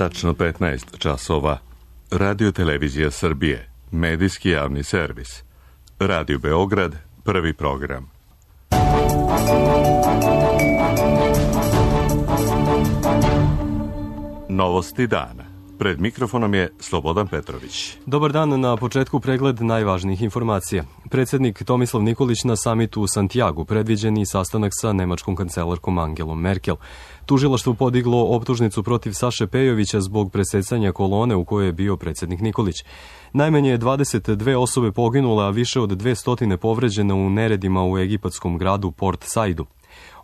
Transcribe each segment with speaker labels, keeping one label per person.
Speaker 1: Tačno 15 časova. Radio Televizija Srbije. Medijski javni servis. Radio Beograd. Prvi program. Novosti dana. Pred mikrofonom je Slobodan Petrović.
Speaker 2: Dobar dan, na početku pregled najvažnijih informacija. Predsjednik Tomislav Nikolić na samitu u Santiagu, predviđeni sastanak sa nemačkom kancelarkom Angelom Merkel. Tužilaštvo podiglo optužnicu protiv Saše Pejovića zbog presecanja kolone u kojoj je bio predsjednik Nikolić. Najmanje 22 osobe poginule, a više od 200 povređene u neredima u egipatskom gradu Port Saidu.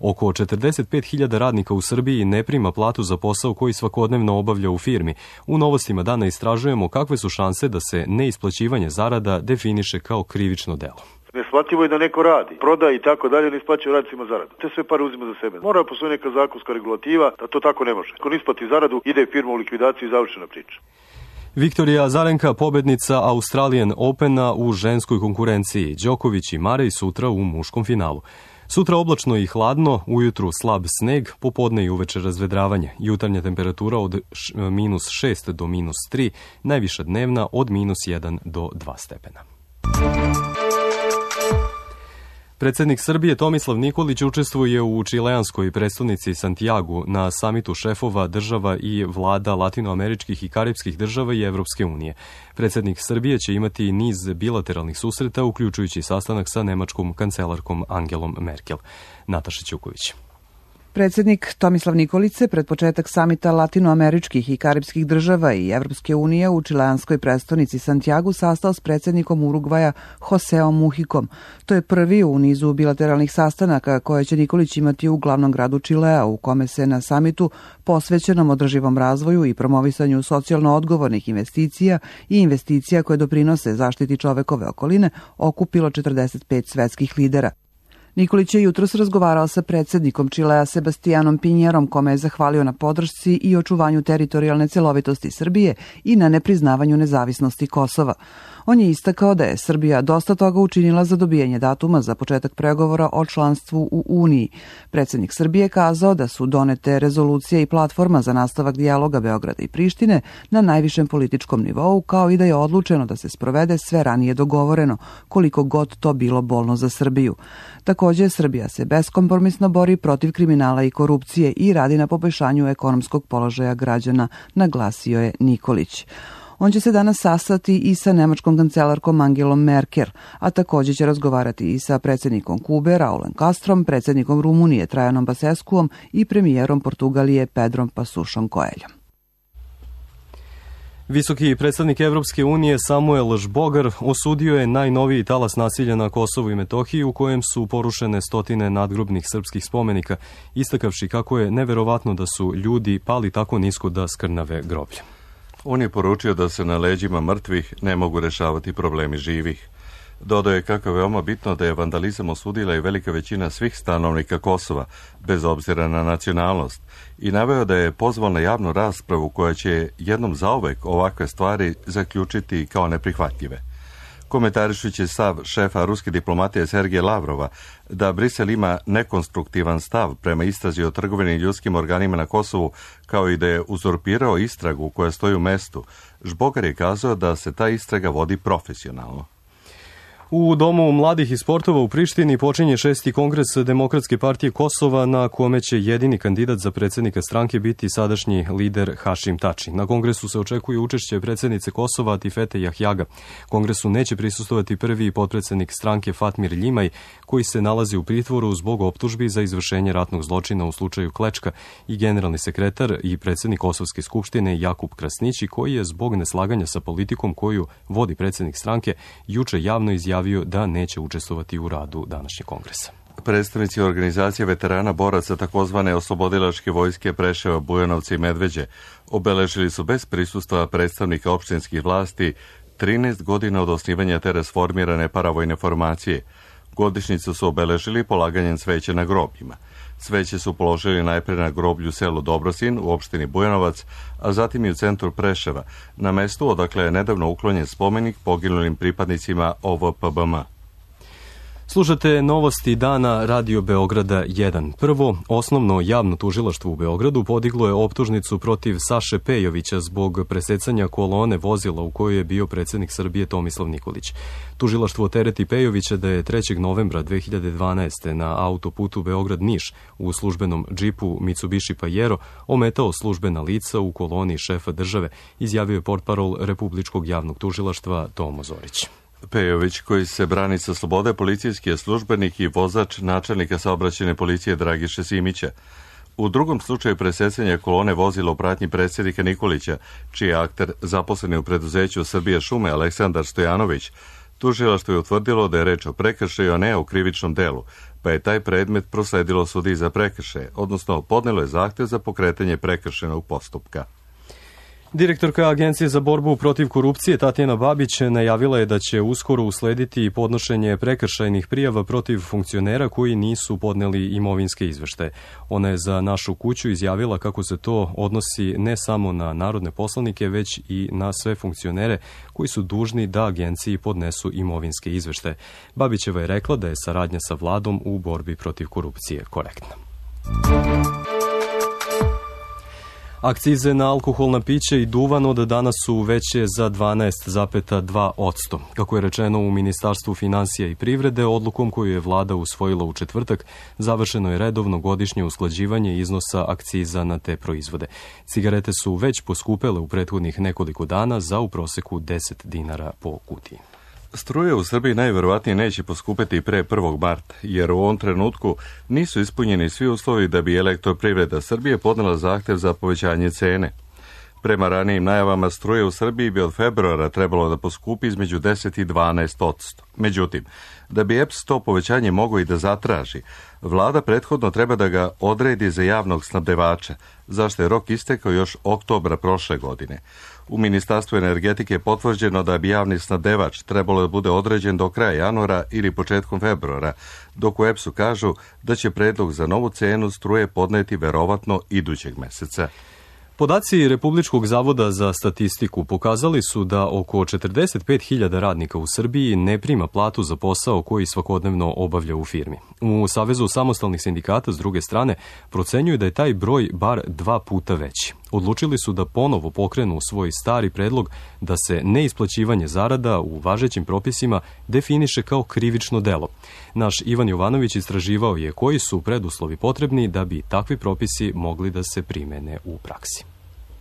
Speaker 2: Oko 45.000 radnika u Srbiji ne prima platu za posao koji svakodnevno obavlja u firmi. U novostima dana istražujemo kakve su šanse da se neisplaćivanje zarada definiše kao krivično delo.
Speaker 3: Neshvatljivo je da neko radi, proda i tako dalje, ne isplaćuje radnicima zaradu. Te sve pare uzima za sebe. Mora da postoji neka zakonska regulativa da to tako ne može. Ako ne isplati zaradu, ide firma u likvidaciju i završena priča.
Speaker 2: Viktorija Azarenka, pobednica Australian Opena u ženskoj konkurenciji. Đoković i Marej sutra u muškom finalu. Sutra oblačno i hladno, ujutru slab sneg, popodne i uveče razvedravanje. Jutarnja temperatura od -6 do -3, najviša dnevna od -1 do 2 stepena. Predsjednik Srbije Tomislav Nikolić učestvuje u čileanskoj prestonici Santiagu na samitu šefova država i vlada latinoameričkih i karipskih država i Evropske unije. Predsjednik Srbije će imati niz bilateralnih susreta, uključujući sastanak sa nemačkom kancelarkom Angelom Merkel. Nataša Ćuković.
Speaker 4: Predsjednik Tomislav Nikolić se pred početak samita latinoameričkih i karipskih država i Evropske unije u čileanskoj prestonici Santiagu sastao s predsjednikom Urugvaja Joseom Muhikom. To je prvi u nizu bilateralnih sastanaka koje će Nikolić imati u glavnom gradu Čilea, u kome se na samitu posvećenom održivom razvoju i promovisanju socijalno odgovornih investicija i investicija koje doprinose zaštiti čovekove okoline okupilo 45 svetskih lidera. Nikolić je jutros razgovarao sa predsjednikom Čilea Sebastianom Pinjerom, kome je zahvalio na podršci i očuvanju teritorijalne celovitosti Srbije i na nepriznavanju nezavisnosti Kosova. On je istakao da je Srbija dosta toga učinila za dobijanje datuma za početak pregovora o članstvu u Uniji. Predsjednik Srbije kazao da su donete rezolucije i platforma za nastavak dijaloga Beograda i Prištine na najvišem političkom nivou, kao i da je odlučeno da se sprovede sve ranije dogovoreno, koliko god to bilo bolno za Srbiju. Također, Srbija se beskompromisno bori protiv kriminala i korupcije i radi na poboljšanju ekonomskog položaja građana, naglasio je Nikolić. On će se danas sastati i sa nemačkom kancelarkom Angelom Merkel, a također će razgovarati i sa predsjednikom Kube Raulom Castrom, predsjednikom Rumunije Trajanom Basescuom i premijerom Portugalije Pedrom Pasušom Coelhom.
Speaker 2: Visoki predstavnik Evropske unije Samuel Žbogar osudio je najnoviji talas nasilja na Kosovu i Metohiji u kojem su porušene stotine nadgrobnih srpskih spomenika, istakavši kako je neverovatno da su ljudi pali tako nisko da skrnave groblje.
Speaker 1: On je poručio da se na leđima mrtvih ne mogu rešavati problemi živih. Dodao je kako je veoma bitno da je vandalizam osudila i velika većina svih stanovnika Kosova, bez obzira na nacionalnost, i naveo da je pozvao na javnu raspravu koja će jednom zauvek ovakve stvari zaključiti kao neprihvatljive. Komentarišući stav šefa ruske diplomatije Sergeja Lavrova da Brisel ima nekonstruktivan stav prema istrazi o trgovini ljudskim organima na Kosovu, kao i da je uzurpirao istragu koja stoji u mestu, Žbogar je kazao da se ta istraga vodi profesionalno.
Speaker 2: U Domu mladih i sportova u Prištini počinje 6. kongres Demokratske partije Kosova, na kome će jedini kandidat za predsjednika stranke biti sadašnji lider Hašim Tači. Na kongresu se očekuje učešće predsjednice Kosova Tifete Jahjaga. Kongresu neće prisustovati prvi potpredsjednik stranke Fatmir Ljimaj, koji se nalazi u pritvoru zbog optužbi za izvršenje ratnog zločina u slučaju Klečka, i generalni sekretar i predsjednik Kosovske skupštine Jakub Krasnići, koji je zbog neslaganja sa politikom koju vodi predsjednik stranke juče javno izjavio da neće učestvovati u radu današnjeg kongresa.
Speaker 1: Predstavnici organizacije veterana boraca takozvane oslobodilačke vojske Preševa, Bujanovca i Medveđe obeležili su bez prisustva predstavnika opštinskih vlasti 13 godina od osnivanja te rasformirane paravojne formacije. Godišnjicu su obeležili polaganjem cveća na grobljima. Cveće su položili najpre na groblju selu Dobrosin u opštini Bujanovac, a zatim i u centru Preševa, na mestu odakle je nedavno uklonjen spomenik poginulim pripadnicima OVPBM.
Speaker 2: Slušate novosti dana Radio Beograda 1. Prvo, osnovno javno tužilaštvo u Beogradu podiglo je optužnicu protiv Saše Pejovića zbog presecanja kolone vozila u kojoj je bio predsjednik Srbije Tomislav Nikolić. Tužilaštvo tereti Pejovića da je 3. novembra 2012. na autoputu Beograd-Niš u službenom džipu Mitsubishi Pajero ometao službena lica u koloni šefa države, izjavio je portparol Republičkog javnog tužilaštva Tomo Zorić.
Speaker 1: Pejović, koji se brani sa slobode, policijski je službenik i vozač načelnika saobraćajne policije Dragiše Simića. U drugom slučaju presecanja kolone vozila u pratnji predsjednika Nikolića, čiji je akter zaposleni u preduzeću Srbije šume Aleksandar Stojanović, tužilaštvo je utvrdilo da je reč o prekršaju, a ne o krivičnom delu, pa je taj predmet prosledilo sudiji za prekršaje, odnosno podnelo je zahtev za pokretanje prekršajnog postupka.
Speaker 2: Direktorka Agencije za borbu protiv korupcije Tatjana Babić najavila je da će uskoro uslediti podnošenje prekršajnih prijava protiv funkcionera koji nisu podneli imovinske izveštaje. Ona je za Našu kuću izjavila kako se to odnosi ne samo na narodne poslanike, već i na sve funkcionere koji su dužni da agenciji podnesu imovinske izveštaje. Babićeva je rekla da je saradnja sa vladom u borbi protiv korupcije korektna. Akcize na alkoholna pića i duvan od danas su veće za 12,2%. Kako je rečeno u Ministarstvu finansija i privrede, odlukom koju je vlada usvojila u četvrtak, završeno je redovno godišnje usklađivanje iznosa akciza na te proizvode. Cigarete su već poskupele u prethodnih nekoliko dana za u proseku 10 dinara po kutiji.
Speaker 1: Struje u Srbiji najverovatnije neće poskupeti pre 1. marta, jer u ovom trenutku nisu ispunjeni svi uslovi da bi Elektroprivreda Srbije podnela zahtev za povećanje cene. Prema ranijim najavama, struje u Srbiji bi od februara trebalo da poskupi između 10 i 12%. Međutim, da bi EPS to povećanje mogao i da zatraži, vlada prethodno treba da ga odredi za javnog snabdevača, zašto je rok istekao još oktobra prošle godine. U Ministarstvu energetike je potvrđeno da bi javni snabdevač trebalo da bude određen do kraja januara ili početkom februara, dok u EPS-u kažu da će predlog za novu cenu struje podneti verovatno idućeg meseca.
Speaker 2: Podaci Republičkog zavoda za statistiku pokazali su da oko 45.000 radnika u Srbiji ne prima platu za posao koji svakodnevno obavlja u firmi. U Savezu samostalnih sindikata, s druge strane, procenjuju da je taj broj bar 2 puta veći. Odlučili su da ponovo pokrenu svoj stari predlog da se neisplaćivanje zarada u važećim propisima definiše kao krivično delo. Naš Ivan Jovanović istraživao je koji su preduslovi potrebni da bi takvi propisi mogli da se primene u praksi.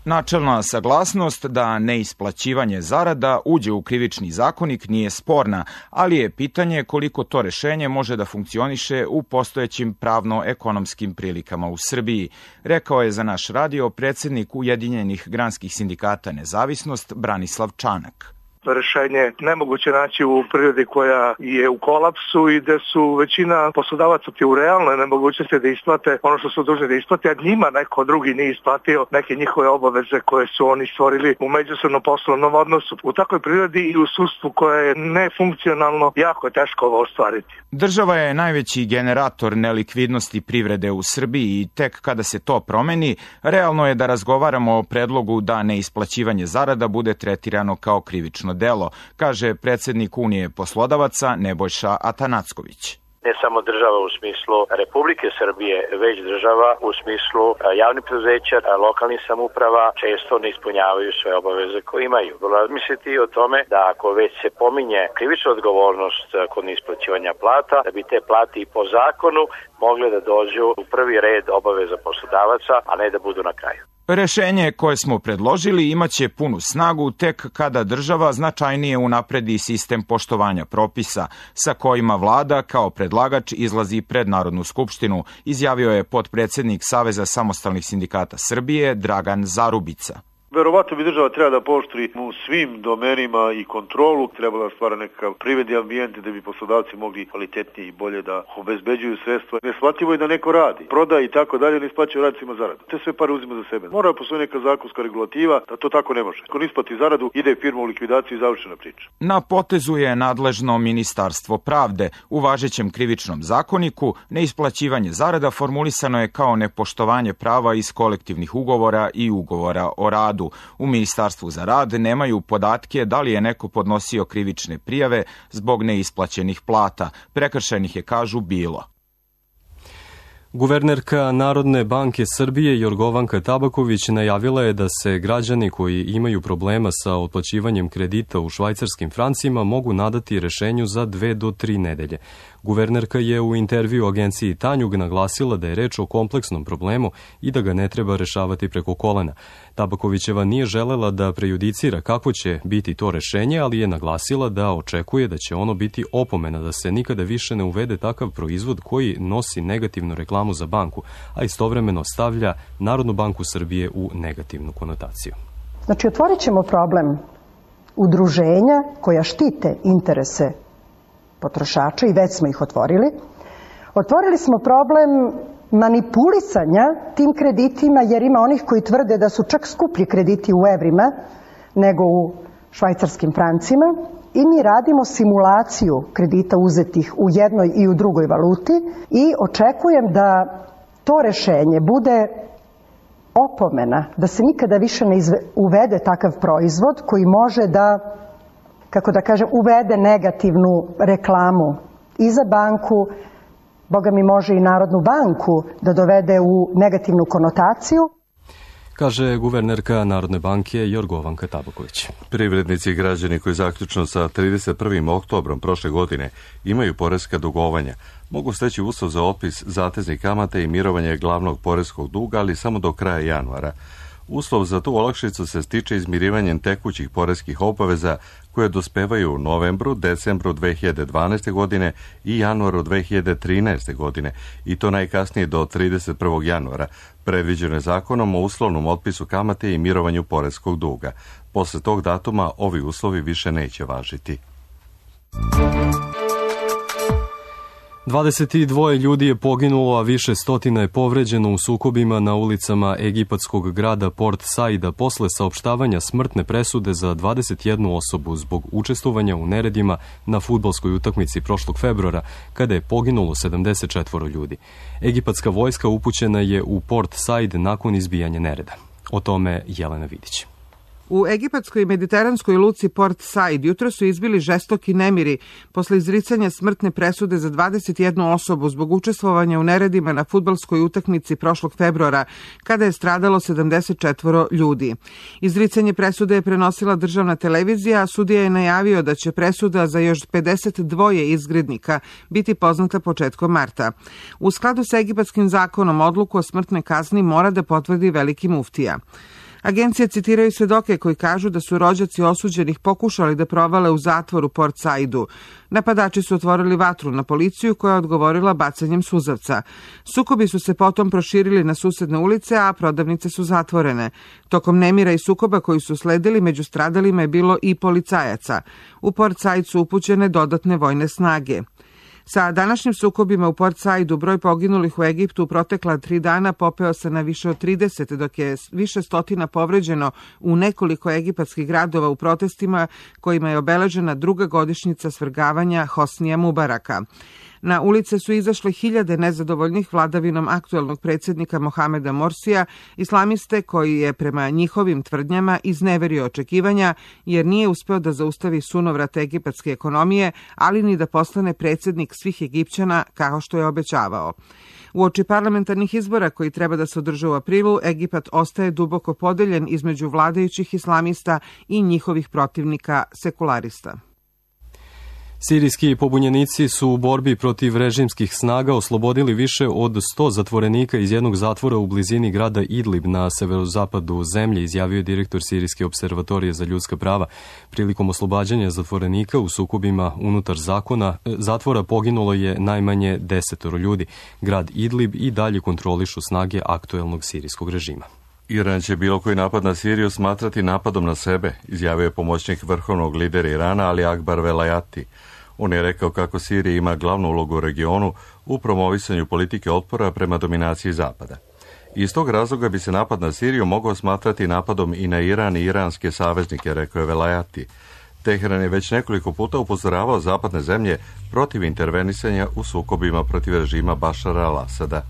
Speaker 5: Načelna saglasnost da neisplaćivanje zarada uđe u krivični zakonik nije sporna, ali je pitanje koliko to rešenje može da funkcioniše u postojećim pravno-ekonomskim prilikama u Srbiji, rekao je za naš radio predsjednik Ujedinjenih granskih sindikata Nezavisnost Branislav Čanak.
Speaker 6: Rešenje nemoguće naći u prirodi koja je u kolapsu i gde su većina poslodavaca u realnoj nemogućnosti da isplate ono što su dužni da isplate, a njima neko drugi nije isplatio neke njihove obaveze koje su oni stvorili u međusobnom poslovnom odnosu. U takvoj prirodi i u sudstvu koje je nefunkcionalno jako je teško ovo ostvariti.
Speaker 5: Država je najveći generator nelikvidnosti privrede u Srbiji i tek kada se to promeni, realno je da razgovaramo o predlogu da neisplaćivanje zarada bude tretirano kao krivično delo, kaže predsjednik Unije poslodavaca Nebojša Atanacković.
Speaker 7: Ne samo država u smislu Republike Srbije, već država u smislu javnih preduzeća, lokalnih samouprava često ne ispunjavaju sve obaveze koje imaju. Razmisliti o tome da ako već se pominje krivična odgovornost kod neisplaćivanja plata, da bi te plate i po zakonu mogle da dođu u prvi red obaveza poslodavaca, a ne da budu na kraju.
Speaker 5: Rešenje koje smo predložili imaće punu snagu tek kada država značajnije unapredi sistem poštovanja propisa sa kojima vlada kao predlagač izlazi pred Narodnu skupštinu, izjavio je potpredsjednik Saveza samostalnih sindikata Srbije Dragan Zarubica.
Speaker 3: Verovatno bi država treba da pooštri u svim domenima i kontrolu, treba da stvara nekakav privredni ambijent da bi poslodavci mogli kvalitetnije i bolje da obezbeđuju sredstva. Neshvatljivo je da neko radi, proda i tako dalje, ne isplaćuje radnicima zaradu. Te sve pare uzima za sebe. Mora da postoji neka zakonska regulativa da to tako ne može. Ako ne isplati zaradu, ide firma u likvidaciju i završena priča.
Speaker 5: Na potezu je nadležno Ministarstvo pravde. U važećem krivičnom zakoniku neisplaćivanje zarada formulisano je kao nepoštovanje prava iz kolektivnih ugovora i ugovora o radu. Beogradu. U Ministarstvu za rad nemaju podatke da li je neko podnosio krivične prijave zbog neisplaćenih plata. Prekršajnih je, kažu, bilo.
Speaker 2: Guvernerka Narodne banke Srbije Jorgovanka Tabaković najavila je da se građani koji imaju problema sa otplaćivanjem kredita u švajcarskim francima mogu nadati rešenju za 2 do 3 nedelje. Guvernerka je u intervju agenciji Tanjug naglasila da je reč o kompleksnom problemu i da ga ne treba rešavati preko kolena. Tabakovićeva nije želela da prejudicira kako će biti to rešenje, ali je naglasila da očekuje da će ono biti opomena da se nikada više ne uvede takav proizvod koji nosi negativnu reklamu za banku, a istovremeno stavlja Narodnu banku Srbije u negativnu konotaciju.
Speaker 8: Znači, otvorit ćemo problem udruženja koja štite interese potrošača i već smo ih otvorili. Otvorili smo problem manipulisanja tim kreditima, jer ima onih koji tvrde da su čak skuplji krediti u evrima nego u švajcarskim francima i mi radimo simulaciju kredita uzetih u jednoj i u drugoj valuti i očekujem da to rešenje bude opomena, da se nikada više ne uvede takav proizvod koji može da, kako da kažem, uvede negativnu reklamu i za banku, Boga mi može i Narodnu banku da dovede u negativnu konotaciju.
Speaker 2: Kaže guvernerka Narodne banke Jorgovanka Tabaković.
Speaker 1: Privrednici i građani koji zaključno sa 31. oktobrom prošle godine imaju poreska dugovanja mogu steći uslov za otpis zateznih kamata i mirovanje glavnog poreskog duga, ali samo do kraja januara. Uslov za tu olakšicu se stiče izmirivanjem tekućih poreskih obaveza koje dospevaju u novembru, decembru 2012. godine i januaru 2013. godine, i to najkasnije do 31. januara, predviđeno je zakonom o uslovnom otpisu kamate i mirovanju poreskog duga. Posle tog datuma ovi uslovi više neće važiti.
Speaker 2: 22 ljudi je poginulo, a više stotina je povređeno u sukobima na ulicama egipatskog grada Port Saida posle saopštavanja smrtne presude za 21 osobu zbog učestvovanja u neredima na fudbalskoj utakmici prošlog februara, kada je poginulo 74 ljudi. Egipatska vojska upućena je u Port Said nakon izbijanja nereda. O tome Jelena Vidić.
Speaker 9: U egipatskoj i mediteranskoj luci Port Said jutro su izbili žestoki nemiri posle izricanja smrtne presude za 21 osobu zbog učestvovanja u neredima na fudbalskoj utakmici prošlog februara, kada je stradalo 74 ljudi. Izricanje presude je prenosila državna televizija, a sudija je najavio da će presuda za još 52 izgrednika biti poznata početkom marta. U skladu sa egipatskim zakonom, odluku o smrtnoj kazni mora da potvrdi veliki muftija. Agencije citiraju svedoke koji kažu da su rođaci osuđenih pokušali da provale u zatvor u Port Saidu. Napadači su otvorili vatru na policiju koja je odgovorila bacanjem suzavca. Sukobi su se potom proširili na susedne ulice, a prodavnice su zatvorene. Tokom nemira i sukoba koji su sledili, među stradalima je bilo i policajaca. U Port Said su upućene dodatne vojne snage. Sa današnjim sukobima u Port Saidu broj poginulih u Egiptu u protekla 3 dana popeo se na više od 30, dok je više stotina povređeno u nekoliko egipatskih gradova u protestima kojima je obeležena druga godišnjica svrgavanja Hosnija Mubaraka. Na ulice su izašle hiljade nezadovoljnih vladavinom aktuelnog predsjednika Mohameda Morsija, islamiste koji je prema njihovim tvrdnjama izneverio očekivanja jer nije uspeo da zaustavi sunovrat egipatske ekonomije, ali ni da postane predsjednik svih Egipćana kao što je obećavao. Uoči parlamentarnih izbora koji treba da se održe u aprilu, Egipat ostaje duboko podeljen između vladajućih islamista i njihovih protivnika sekularista.
Speaker 2: Sirijski pobunjenici su u borbi protiv režimskih snaga oslobodili više od 100 zatvorenika iz jednog zatvora u blizini grada Idlib na severozapadu zemlje, izjavio je direktor Sirijske observatorije za ljudska prava. Prilikom oslobađanja zatvorenika u sukobima unutar zatvora poginulo je najmanje 10 ljudi. Grad Idlib i dalje kontrolišu snage aktuelnog sirijskog režima.
Speaker 1: Iran će bilo koji napad na Siriju smatrati napadom na sebe, izjavio je pomoćnik vrhovnog lidera Irana Ali Akbar Velayati. On je rekao kako Sirija ima glavnu ulogu u regionu u promovisanju politike otpora prema dominaciji Zapada. Iz tog razloga bi se napad na Siriju mogao smatrati napadom i na Iran i iranske saveznike, rekao je Velayati. Teheran je već nekoliko puta upozoravao zapadne zemlje protiv intervenisanja u sukobima protiv režima Bašara al-Asada.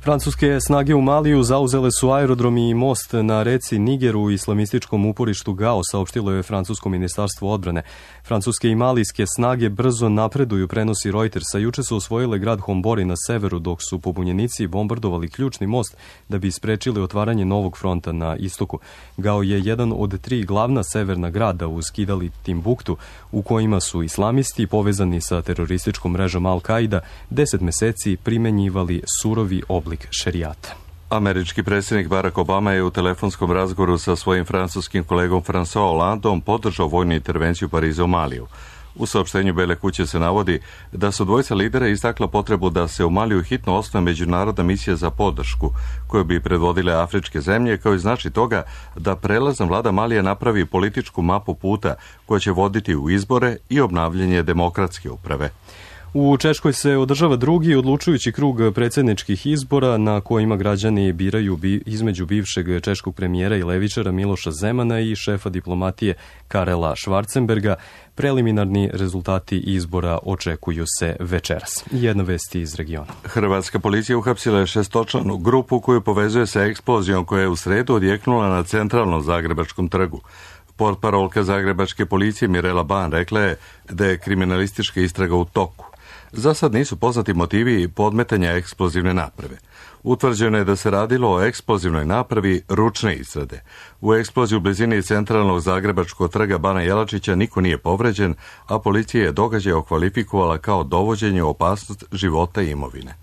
Speaker 2: Francuske snage u Maliju zauzele su aerodrom i most na reci Niger u islamističkom uporištu Gao, saopštilo je francusko ministarstvo odbrane. Francuske i malijske snage brzo napreduju, prenosi Reuters, a juče su osvojile grad Hombori na severu, dok su pobunjenici bombardovali ključni most da bi sprečili otvaranje novog fronta na istoku. Gao je jedan od 3 glavna severna grada uz Kidal i Timbuktu, u kojima su islamisti povezani sa terorističkom mrežom Al-Qaida 10 meseci primenjivali surovi oblik šerijata.
Speaker 1: Američki predsjednik Barack Obama je u telefonskom razgovoru sa svojim francuskim kolegom François Hollandeom podržao vojnu intervenciju Pariza u Maliju. U saopštenju Bele kuće se navodi da su dvojica lidera istakla potrebu da se u Maliju hitno osnuje međunarodna misija za podršku, koju bi predvodile afričke zemlje, kao i znači toga da prelazna vlada Malija napravi političku mapu puta koja će voditi u izbore i obnavljanje demokratske uprave.
Speaker 2: U Češkoj se održava drugi odlučujući krug predsjedničkih izbora na kojima građani biraju između bivšeg češkog premijera i levičara Miloša Zemana i šefa diplomatije Karela Schwarzenberga. Preliminarni rezultati izbora očekuju se večeras. Jedna vest iz regiona.
Speaker 1: Hrvatska policija uhapsila je 6-članu grupu koju povezuje sa eksplozijom koja je u sredu odjeknula na centralnom Zagrebačkom trgu. Portparolka Zagrebačke policije Mirela Ban rekla je da je kriminalistička istraga u toku. Za sad nisu poznati motivi podmetanja eksplozivne naprave. Utvrđeno je da se radilo o eksplozivnoj napravi ručne izrade. U eksploziji u blizini centralnog Zagrebačkog trga Bana Jelačića niko nije povređen, a policija je događaj okvalifikovala kao dovođenje u opasnost života i imovine.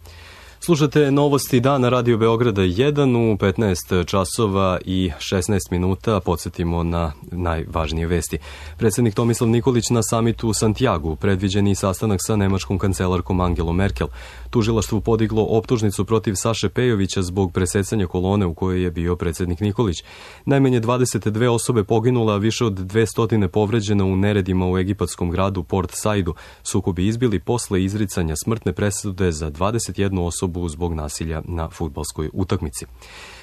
Speaker 2: Slušate novosti dana Radio Beograda 1 u 15 časova i 16 minuta. Podsjetimo na najvažnije vesti. Predsjednik Tomislav Nikolić na samitu u Santiagu, predviđeni sastanak sa nemačkom kancelarkom Angelom Merkel. Tužilaštvo podiglo optužnicu protiv Saše Pejovića zbog presecanja kolone u kojoj je bio predsjednik Nikolić. Najmanje 22 osobe poginula, a više od 200 povređena u neredima u egipatskom gradu Port Saidu. Sukobi izbili posle izricanja smrtne presude za 21 osobu zbog nasilja na fudbalskoj utakmici.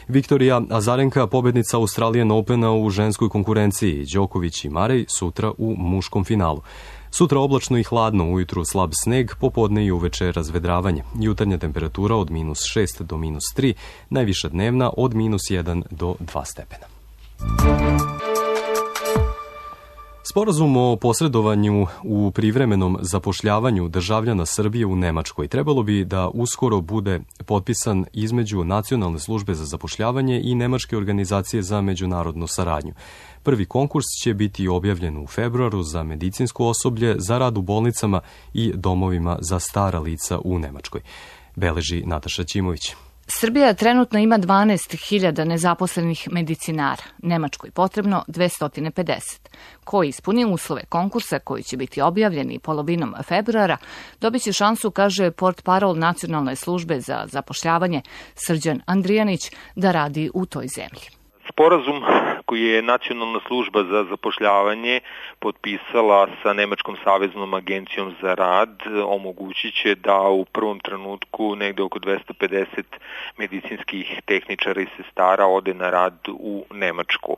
Speaker 2: Viktorija Azarenka, pobednica Australian Opena u ženskoj konkurenciji, Đoković i Marej sutra u muškom finalu. Sutra oblačno i hladno, ujutru slab sneg, popodne i uveče razvedravanje. Jutarnja temperatura od -6 do -3, najviša dnevna od -1 do 2 stepena. Sporazum o posredovanju u privremenom zapošljavanju državljana Srbije u Nemačkoj trebalo bi da uskoro bude potpisan između Nacionalne službe za zapošljavanje i Nemačke organizacije za međunarodnu saradnju. Prvi konkurs će biti objavljen u februaru za medicinsko osoblje, za rad u bolnicama i domovima za stara lica u Nemačkoj. Beleži Nataša Ćimović.
Speaker 10: Srbija trenutno ima 12.000 nezaposlenih medicinara, Nemačkoj potrebno 250. Ko ispuni uslove konkursa koji će biti objavljeni polovinom februara, dobit će šansu, kaže portparol Nacionalne službe za zapošljavanje Srđan Andrijanić, da radi u toj zemlji.
Speaker 11: Sporazum koji je Nacionalna služba za zapošljavanje potpisala sa Nemačkom saveznom agencijom za rad omogućit će da u prvom trenutku negde oko 250 medicinskih tehničara i sestara ode na rad u Nemačku.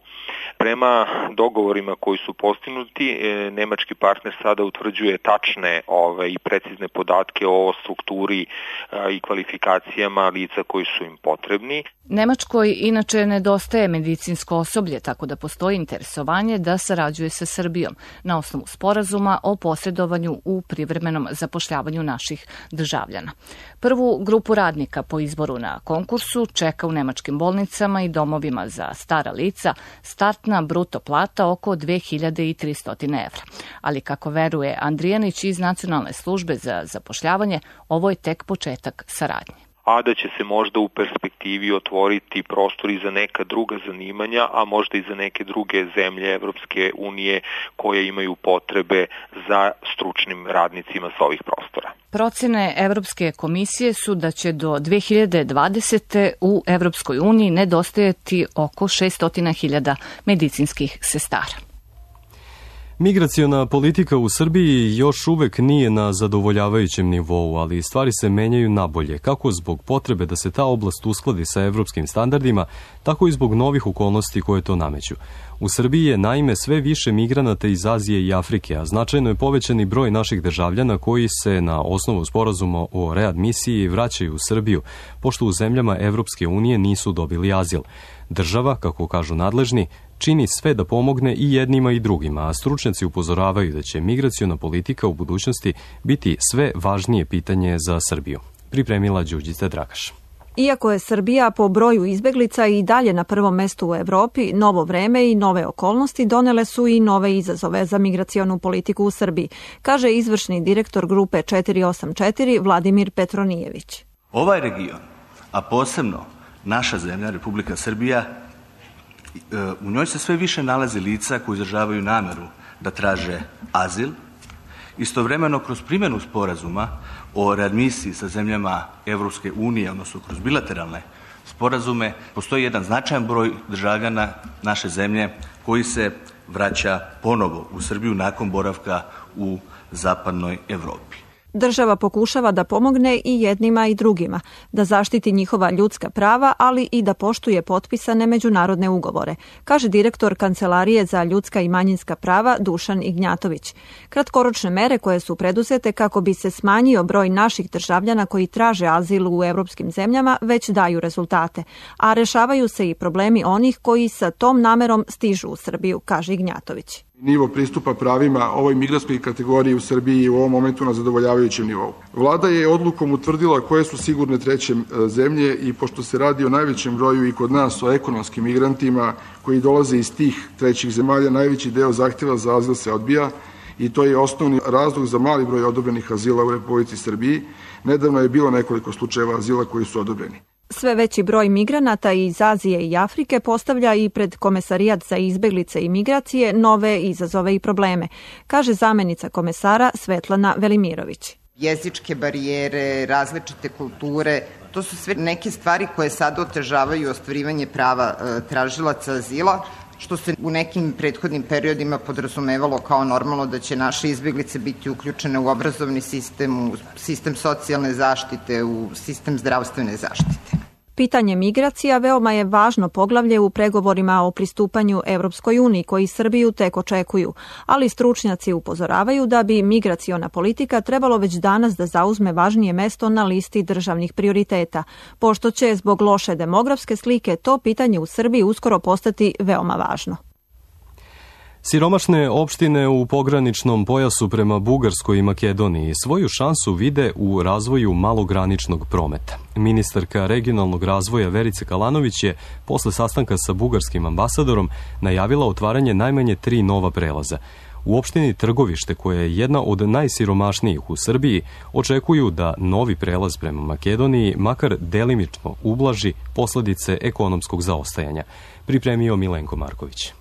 Speaker 11: Prema dogovorima koji su postignuti, nemački partner sada utvrđuje tačne i precizne podatke o strukturi i kvalifikacijama lica koji su im potrebni.
Speaker 10: Nemačkoj inače nedostaje medicinsko osoblje, tako da postoji interesovanje da sarađuje sa Srbijom na osnovu sporazuma o posredovanju u privremenom zapošljavanju naših državljana. Prvu grupu radnika po izboru na konkursu čeka u nemačkim bolnicama i domovima za stara lica startna bruto plata oko 2300 evra. Ali kako veruje Andrijanić iz Nacionalne službe za zapošljavanje, ovo je tek početak saradnje.
Speaker 11: A da će se možda u perspektivi otvoriti prostor i za neka druga zanimanja, a možda i za neke druge zemlje Evropske unije koje imaju potrebe za stručnim radnicima sa ovih prostora.
Speaker 10: Procene Evropske komisije su da će do 2020. u Evropskoj uniji nedostajati oko 600.000 medicinskih sestara.
Speaker 2: Migraciona politika u Srbiji još uvek nije na zadovoljavajućem nivou, ali stvari se menjaju nabolje, kako zbog potrebe da se ta oblast uskladi sa evropskim standardima, tako i zbog novih okolnosti koje to nameću. U Srbiji je naime sve više migranata iz Azije i Afrike, a značajno je povećani broj naših državljana koji se na osnovu sporazuma o readmisiji vraćaju u Srbiju, pošto u zemljama Evropske unije nisu dobili azil. Država, kako kažu nadležni, čini sve da pomogne i jednima i drugima, a stručnjaci upozoravaju da će migraciona politika u budućnosti biti sve važnije pitanje za Srbiju. Pripremila Đurđica Dragaš.
Speaker 12: Iako je Srbija po broju izbeglica i dalje na prvom mestu u Evropi, novo vreme i nove okolnosti donele su i nove izazove za migracionu politiku u Srbiji, kaže izvršni direktor grupe 484 Vladimir Petronijević.
Speaker 13: Ovaj region, a posebno naša zemlja, Republika Srbija, u njoj se sve više nalazi lica koji izražavaju nameru da traže azil. Istovremeno, kroz primjenu sporazuma o readmisiji sa zemljama Evropske unije, odnosno kroz bilateralne sporazume, postoji jedan značajan broj državljana naše zemlje koji se vraća ponovo u Srbiju nakon boravka u zapadnoj Evropi.
Speaker 12: Država pokušava da pomogne i jednima i drugima, da zaštiti njihova ljudska prava, ali i da poštuje potpisane međunarodne ugovore, kaže direktor Kancelarije za ljudska i manjinska prava Dušan Ignjatović. Kratkoročne mere koje su preduzete kako bi se smanjio broj naših državljana koji traže azil u evropskim zemljama već daju rezultate, a rešavaju se i problemi onih koji sa tom namerom stižu u Srbiju, kaže Ignjatović.
Speaker 14: Nivo pristupa pravima ovoj migrantskoj kategoriji u Srbiji je u ovom momentu na zadovoljavajućem nivou. Vlada je odlukom utvrdila koje su sigurne treće zemlje i pošto se radi o najvećem broju i kod nas o ekonomskim migrantima koji dolaze iz tih trećih zemalja, najveći deo zahtjeva za azil se odbija i to je osnovni razlog za mali broj odobrenih azila u Republici Srbiji. Nedavno je bilo nekoliko slučajeva azila koji su odobreni.
Speaker 12: Sve veći broj migranata iz Azije i Afrike postavlja i pred Komesarijat za izbeglice i migracije nove izazove i probleme, kaže zamenica komesara Svetlana Velimirović.
Speaker 15: Jezičke barijere, različite kulture, to su sve neke stvari koje sada otežavaju ostvarivanje prava tražilaca azila, što se u nekim prethodnim periodima podrazumevalo kao normalno da će naše izbeglice biti uključene u obrazovni sistem, u sistem socijalne zaštite, u sistem zdravstvene zaštite.
Speaker 12: Pitanje migracija veoma je važno poglavlje u pregovorima o pristupanju Evropskoj uniji koji Srbiju tek očekuju, ali stručnjaci upozoravaju da bi migraciona politika trebalo već danas da zauzme važnije mesto na listi državnih prioriteta, pošto će zbog loše demografske slike to pitanje u Srbiji uskoro postati veoma važno.
Speaker 2: Siromašne opštine u pograničnom pojasu prema Bugarskoj i Makedoniji svoju šansu vide u razvoju malograničnog prometa. Ministarka regionalnog razvoja Verica Kalanović je posle sastanka sa bugarskim ambasadorom najavila otvaranje najmanje 3 nova prelaza. U opštini Trgovište, koja je jedna od najsiromašnijih u Srbiji, očekuju da novi prelaz prema Makedoniji makar delimično ublaži posledice ekonomskog zaostajanja. Pripremio Milenko Marković.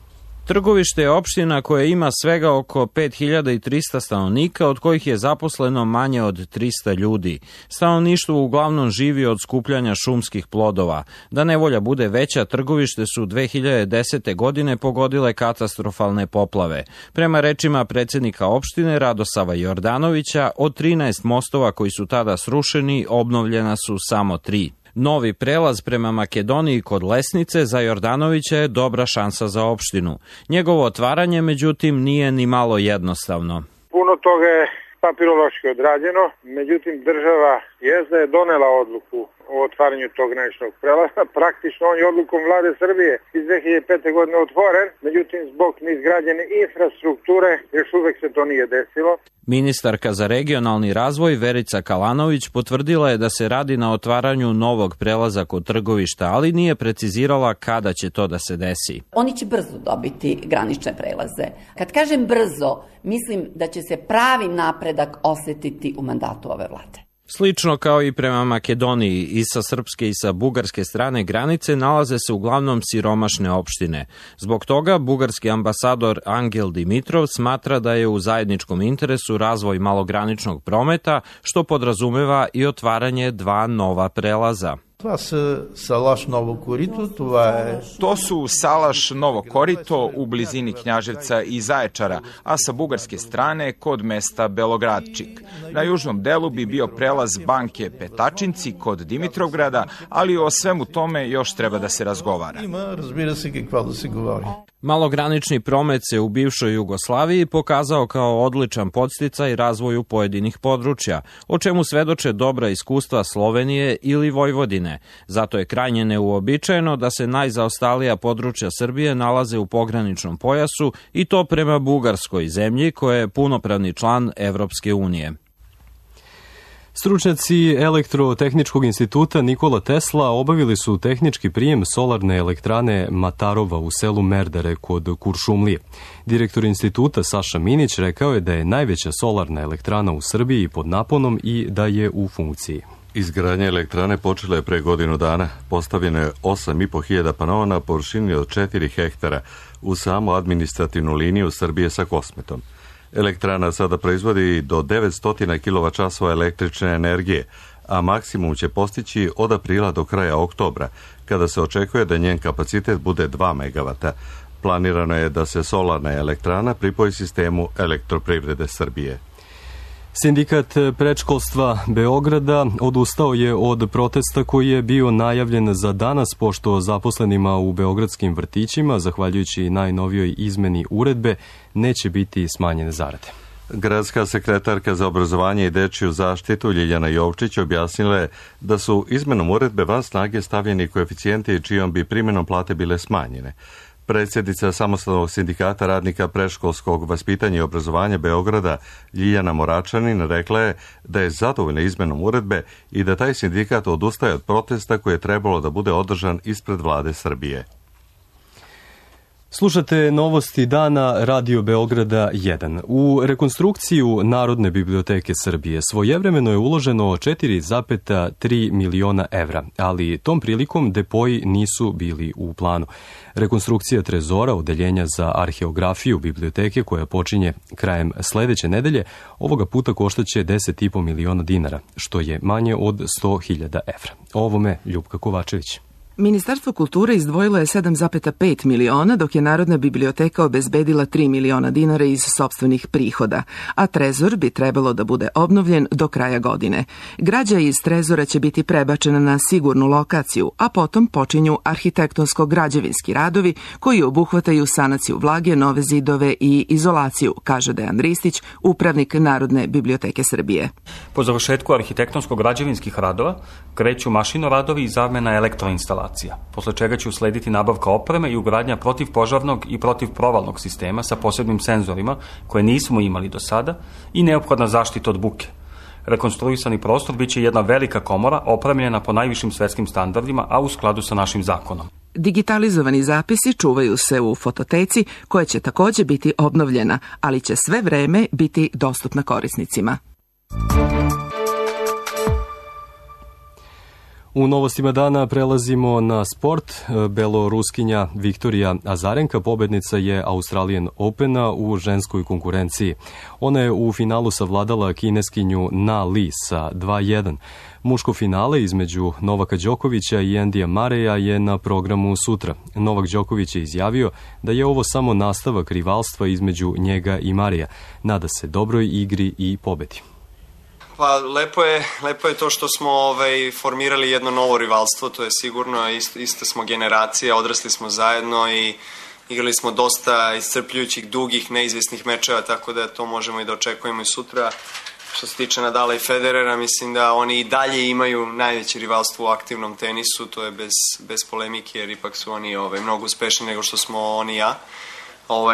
Speaker 16: Trgovište je opština koja ima svega oko 5300 stanovnika, od kojih je zaposleno manje od 300 ljudi. Stanovništvo uglavnom živi od skupljanja šumskih plodova. Da nevolja bude veća, Trgovište su 2010. godine pogodile katastrofalne poplave. Prema rečima predsjednika opštine Radosava Jordanovića, od 13 mostova koji su tada srušeni, obnovljena su samo 3. Novi prelaz prema Makedoniji kod Lesnice za Jordanovića je dobra šansa za opštinu. Njegovo otvaranje, međutim, nije ni malo jednostavno.
Speaker 17: Puno toga je papirološki odrađeno, međutim država jezda je donela odluku o otvaranju tog graničnog prelaza. Praktično on je odlukom vlade Srbije iz 2005. godine otvoren, međutim zbog neizgrađene infrastrukture još uvek se to nije desilo.
Speaker 16: Ministarka za regionalni razvoj Verica Kalanović potvrdila je da se radi na otvaranju novog prelaza kod Trgovišta, ali nije precizirala kada će to da se desi.
Speaker 18: Oni će brzo dobiti granične prelaze. Kad kažem brzo, mislim da će se pravi napredak osetiti u mandatu ove vlade.
Speaker 16: Slično kao i prema Makedoniji, i sa srpske i sa bugarske strane granice nalaze se uglavnom siromašne opštine. Zbog toga bugarski ambasador Angel Dimitrov smatra da je u zajedničkom interesu razvoj malograničnog prometa, što podrazumeva i otvaranje 2 nova prelaza.
Speaker 5: To su Salaš Novo Korito u blizini Knjaževca i Zaječara, a sa bugarske strane kod mesta Belogradčik. Na južnom delu bi bio prelaz banke Petačinci kod Dimitrovgrada, ali o svemu tome još treba da se razgovara.
Speaker 16: Malogranični promet se u bivšoj Jugoslaviji pokazao kao odličan podsticaj razvoju pojedinih područja, o čemu svedoče dobra iskustva Slovenije ili Vojvodine. Zato je krajnje neuobičajeno da se najzaostalija područja Srbije nalaze u pograničnom pojasu i to prema Bugarskoj, zemlji koja je punopravni član Evropske unije.
Speaker 2: Stručnjaci Elektrotehničkog instituta Nikola Tesla obavili su tehnički prijem solarne elektrane Matarova u selu Merdare kod Kuršumlije. Direktor instituta Saša Minić rekao je da je najveća solarna elektrana u Srbiji pod naponom i da je u funkciji.
Speaker 1: Izgradnja elektrane počela je pre godinu dana. Postavljeno je 8.500 panova na površini od 4 hektara u samu administrativnu liniju Srbije sa Kosmetom. Elektrana sada proizvodi do 900 kWh električne energije, a maksimum će postići od aprila do kraja oktobra, kada se očekuje da njen kapacitet bude 2 MW. Planirano je da se solarna elektrana pripoji sistemu Elektroprivrede Srbije.
Speaker 2: Sindikat predškolstva Beograda odustao je od protesta koji je bio najavljen za danas, pošto zaposlenima u beogradskim vrtićima, zahvaljujući najnovijoj izmeni uredbe, neće biti smanjene zarade.
Speaker 1: Gradska sekretarka za obrazovanje i dečiju zaštitu Ljiljana Jovčić objasnila je da su izmenom uredbe van snage stavljeni koeficijenti čijom bi primjenom plate bile smanjene. Predsjednica Samostalnog sindikata radnika predškolskog vaspitanja i obrazovanja Beograda Ljiljana Moračanin rekla je da je zadovoljna izmenom uredbe i da taj sindikat odustaje od protesta koji je trebalo da bude održan ispred vlade Srbije.
Speaker 2: Slušate novosti dana Radio Beograda 1. U rekonstrukciju Narodne biblioteke Srbije svojevremeno je uloženo 4,3 miliona evra, ali tom prilikom depoji nisu bili u planu. Rekonstrukcija trezora, odeljenja za arheografiju biblioteke koja počinje krajem sledeće nedelje, ovoga puta koštaće 10,5 miliona dinara, što je manje od 100.000 evra. O ovome Ljupka Kovačević.
Speaker 19: Ministarstvo kulture izdvojilo je 7,5 miliona, dok je Narodna biblioteka obezbedila 3 miliona dinara iz sopstvenih prihoda, a trezor bi trebalo da bude obnovljen do kraja godine. Građa iz trezora će biti prebačena na sigurnu lokaciju, a potom počinju arhitektonsko-građevinski radovi koji obuhvataju sanaciju vlage, nove zidove i izolaciju, kaže Dejan Ristić, upravnik Narodne biblioteke Srbije.
Speaker 20: Po završetku arhitektonsko-građevinskih radova kreću mašinoradovi i zamena elektroinstalacija, posle čega će uslediti nabavka opreme i ugradnja protivpožarnog i protivprovalnog sistema sa posebnim senzorima koje nismo imali do sada i neophodna zaštita od buke. Rekonstruisani prostor biće jedna velika komora opremljena po najvišim svetskim standardima, a u skladu sa našim zakonom.
Speaker 19: Digitalizovani zapisi čuvaju se u fototeci koja će takođe biti obnovljena, ali će sve vreme biti dostupna korisnicima.
Speaker 2: U novostima dana prelazimo na sport. Beloruskinja Viktorija Azarenka pobednica je Australian Opena u ženskoj konkurenciji. Ona je u finalu savladala kineskinju Na Li sa 2:1. Muško finale između Novaka Đokovića i Endija Mareja je na programu sutra. Novak Đoković je izjavio da je ovo samo nastavak rivalstva između njega i Mareja. Nada se dobroj igri i pobedi.
Speaker 21: Pa lepo je to što smo formirali jedno novo rivalstvo, to je sigurno, iste smo generacije, odrasli smo zajedno i igrali smo dosta iscrpljujućih, dugih, neizvesnih mečeva, tako da to možemo i da očekujemo i sutra. Što se tiče Nadala i Federera, mislim da oni i dalje imaju najveće rivalstvo u aktivnom tenisu, to je bez polemike, jer ipak su oni mnogo uspešniji nego što smo oni i ja.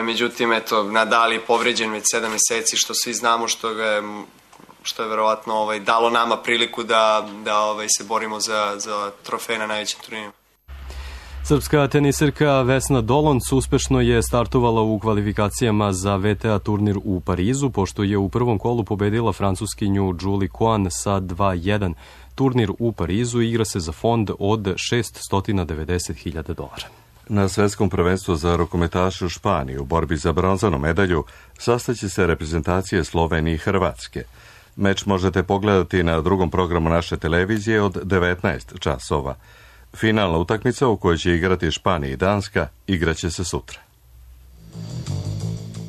Speaker 21: Međutim, Nadal je povređen već 7 meseci, što svi znamo, što je verovatno dalo nama priliku da se borimo za trofej na najvećem turniru.
Speaker 2: Srpska teniserka Vesna Dolonc uspešno je startovala u kvalifikacijama za VTA turnir u Parizu, pošto je u prvom kolu pobedila francuskinju Julie Coan sa 2:1. Turnir u Parizu igra se za fond od $690.000.
Speaker 1: Na svetskom prvenstvu za rukometaše u Španiji u borbi za bronzanu medalju sastaće se reprezentacije Slovenije i Hrvatske. Meč možete pogledati na drugom programu naše televizije od 19 časova. Finalna utakmica u kojoj će igrati Španija i Danska igraće se sutra.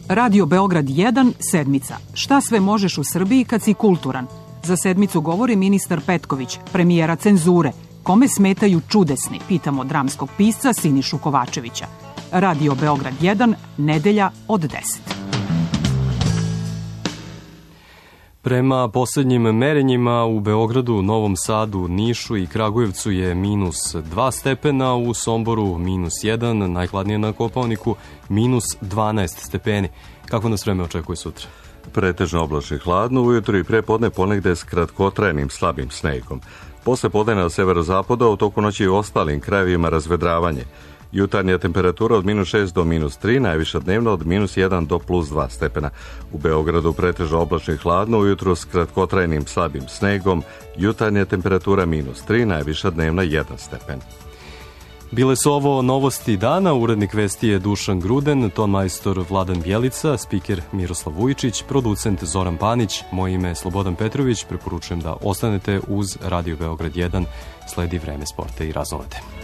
Speaker 4: Radio Beograd 1, sedmica. Šta sve možeš u Srbiji kad si kulturan? Za sedmicu govori ministar Petković, premijera cenzure. Kome smetaju čudesni, pitamo dramskog pisca Sinišu Kovačevića. Radio Beograd 1, nedelja od 10.
Speaker 2: Prema posljednjim merenjima u Beogradu, Novom Sadu, Nišu i Kragujevcu je minus 2 stepena, u Somboru minus 1, najhladnije na Kopaoniku minus 12 stepeni. Kako nas vreme očekuje sutra?
Speaker 1: Pretežno oblačno i hladno, ujutro i prepodne ponegde s kratkotrajnim slabim snegom. Posle podne na severozapadu, a u toku noći i u ostalim krajevima razvedravanje. Jutarnja temperatura od minus 6 do minus 3, najviša dnevno od minus 1 do plus 2 stepena. U Beogradu pretežno oblačno i hladno, ujutro s kratkotrajnim slabim snegom, jutarnja temperatura minus 3, najviša dnevna 1 stepen.
Speaker 2: Bile su ovo novosti dana, urednik vesti je Dušan Gruden, ton majstor Vladan Bjelica, spiker Miroslav Vujičić, producent Zoran Panić, moje ime je Slobodan Petrović, preporučujem da ostanete uz Radio Beograd 1, sledi Vreme sporta i raznolete.